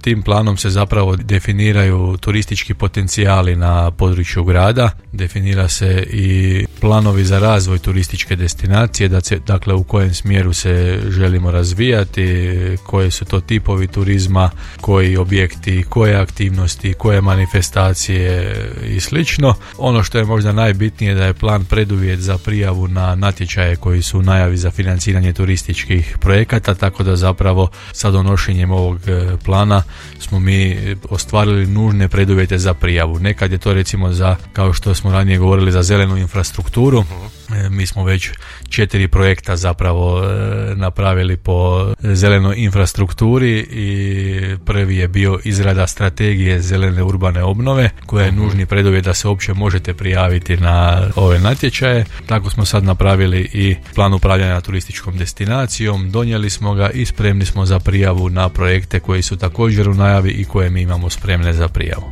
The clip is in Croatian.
Tim planom se zapravo definiraju turistički potencijali na području grada, definira se i planovi za razvoj turističke destinacije, dakle u kojem smjeru se želimo razvijati, koje su to tipovi turizma, koji objekti, koje aktivnosti, koje manifestacije i slično. Ono što je možda najbitnije da je plan preduvjet za prijavu na natječaje koji su u najavi za financiranje turističkih projekata, tako da zapravo sa donošenjem ovog plana smo mi ostvarili nužne preduvjete za prijavu. Nekad je to recimo za, kao što smo ranije govorili, za zelenu infrastrukturu. Mi smo već 4 projekta zapravo napravili po zelenoj infrastrukturi i prvi je bio izrada strategije zelene urbane obnove koja je nužni preduvjet da se uopće možete prijaviti na ove natječaje. Tako smo sad napravili i plan upravljanja turističkom destinacijom, donijeli smo ga i spremni smo za prijavu na projekte koji su također u najavi i koje mi imamo spremne za prijavu.